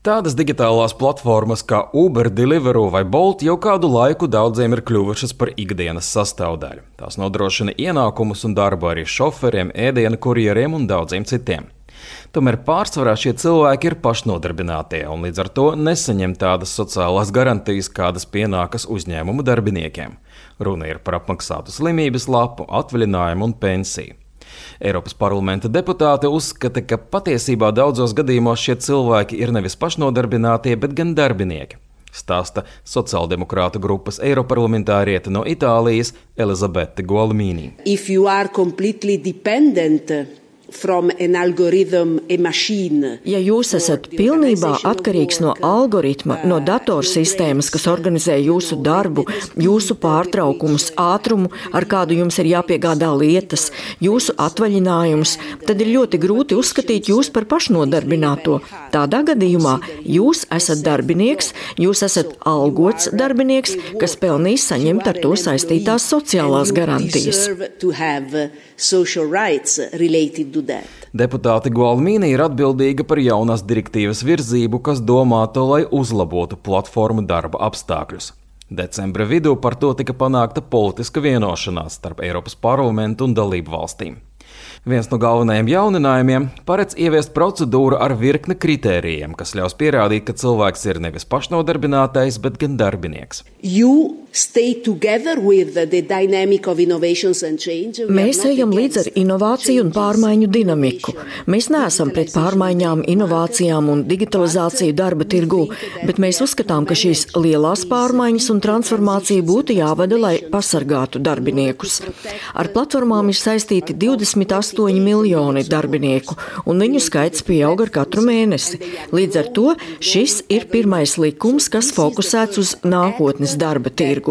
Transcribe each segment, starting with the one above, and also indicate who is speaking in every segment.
Speaker 1: Tādas digitālās platformas kā Uber, Deliveroo vai Bolt jau kādu laiku daudziem ir kļuvušas par ikdienas sastāvdaļu. Tās nodrošina ienākumus un darbu arī šoferiem, ēdienu kurjeriem un daudziem citiem. Tomēr pārsvarā šie cilvēki ir pašnodarbinātie un līdz ar to nesaņem tādas sociālās garantijas, kādas pienākas uzņēmumu darbiniekiem. Runa ir par apmaksātu slimības lapu, atvaļinājumu un pensiju. Eiropas parlamenta deputāte uzskata, ka patiesībā daudzos gadījumos šie cilvēki ir nevis pašnodarbinātie, bet gan darbinieki. Stāsta sociāldemokrātu grupas eiroparlamentāriete no Itālijas Elizabete Gualmini.
Speaker 2: Ja jūs esat pilnībā atkarīgs no algoritma, no datorsistēmas, kas organizē jūsu darbu, jūsu pārtraukumus, ātrumu, ar kādu jums ir jāpiegādā lietas, jūsu atvaļinājumus, tad ir ļoti grūti uzskatīt jūs par pašnodarbināto. Tādā gadījumā jūs esat darbinieks, jūs esat algots darbinieks, kas pelnīs saņemt ar to saistītās sociālās garantijas.
Speaker 1: Deputāte Gualmini ir atbildīga par jaunās direktīvas virzību, kas domāta, lai uzlabotu platformu darba apstākļus. Decembra vidū par to tika panākta politiska vienošanās starp Eiropas parlamentu un dalību valstīm. Viens no galvenajiem jauninājumiem paredz ieviest procedūru ar virkni kritērijiem, kas ļaus pierādīt, ka cilvēks ir nevis pašnodarbinātais, bet gan darbinieks.
Speaker 2: Mēs ejam līdz ar inovāciju un pārmaiņu dinamiku. Mēs neesam pret pārmaiņām, inovācijām un digitalizāciju darba tirgū, bet mēs uzskatām, ka šīs lielās pārmaiņas un transformācija būtu jāvada, lai pasargātu darbiniekus. Ar platformām ir saistīti 28 miljoni darbinieku, un viņu skaits pieaug ar katru mēnesi. Līdz ar to šis ir pirmais likums, kas fokusēts uz nākotnes darba tirgu.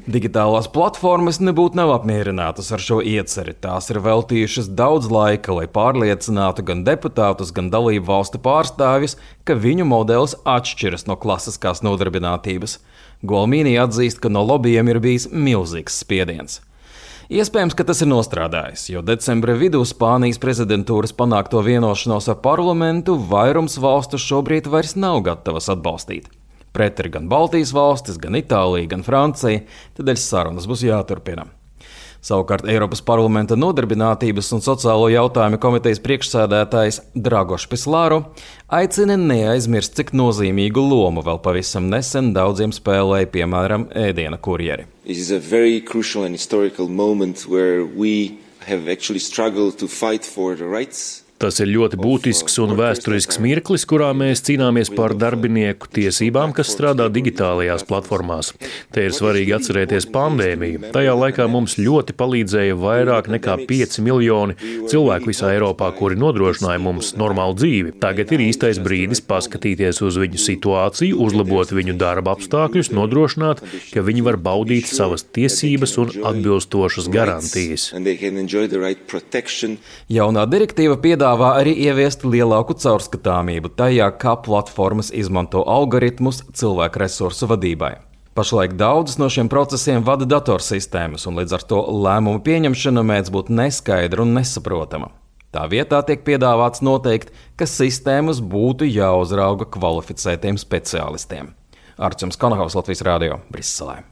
Speaker 1: Digitālās platformas nebūtu nav apmierinātas ar šo ieceri. Tās ir veltījušas daudz laika, lai pārliecinātu gan deputātus, gan dalību valstu pārstāvjus, ka viņu modelis atšķiras no klasiskās nodarbinātības. Gualmini atzīst, ka no lobbyiem ir bijis milzīgs spiediens. Iespējams, ka tas ir nostrādājis, jo decembra vidū Spānijas prezidentūras panākto vienošanos ar parlamentu vairums valstu šobrīd vairs nav gatavas atbalstīt. Pret ir gan Baltijas valstis, gan Itālija, gan Francija, tādēļ sarunas būs jāturpina. Savukārt Eiropas parlamenta nodarbinātības un sociālo jautājumu komitejas priekšsēdētājs Dragoš Pislāru aicina neaizmirst, cik nozīmīgu lomu vēl pavisam nesen daudziem spēlēja, piemēram, ēdiena kurjeri.
Speaker 3: It is a very crucial and historical moment where we have actually struggled to fight for the rights.
Speaker 4: Tas ir ļoti būtisks un vēsturisks mirklis, kurā mēs cīnāmies par darbinieku tiesībām, kas strādā digitālajās platformās. Te ir svarīgi atcerēties pandēmiju. Tajā laikā mums ļoti palīdzēja vairāk nekā 5 miljoni cilvēku visā Eiropā, kuri nodrošināja mums normālu dzīvi. Tagad ir īstais brīdis paskatīties uz viņu situāciju, uzlabot viņu darba apstākļus, nodrošināt, ka viņi var baudīt savas tiesības un atbilstošas garantijas.
Speaker 1: Jaunā direktīva piedāvā arī ieviest lielāku caurskatāmību tajā, kā platformas izmanto algoritmus cilvēku resursu vadībai. Pašlaik daudzus no šiem procesiem vada datorsistēmas, un līdz ar to lēmumu pieņemšana mēdz būt neskaidra un nesaprotama. Tā vietā tiek piedāvāts noteikt, ka sistēmas būtu jāuzrauga kvalificētiem speciālistiem. Arčuns Konahaus, Latvijas radio, Briselē.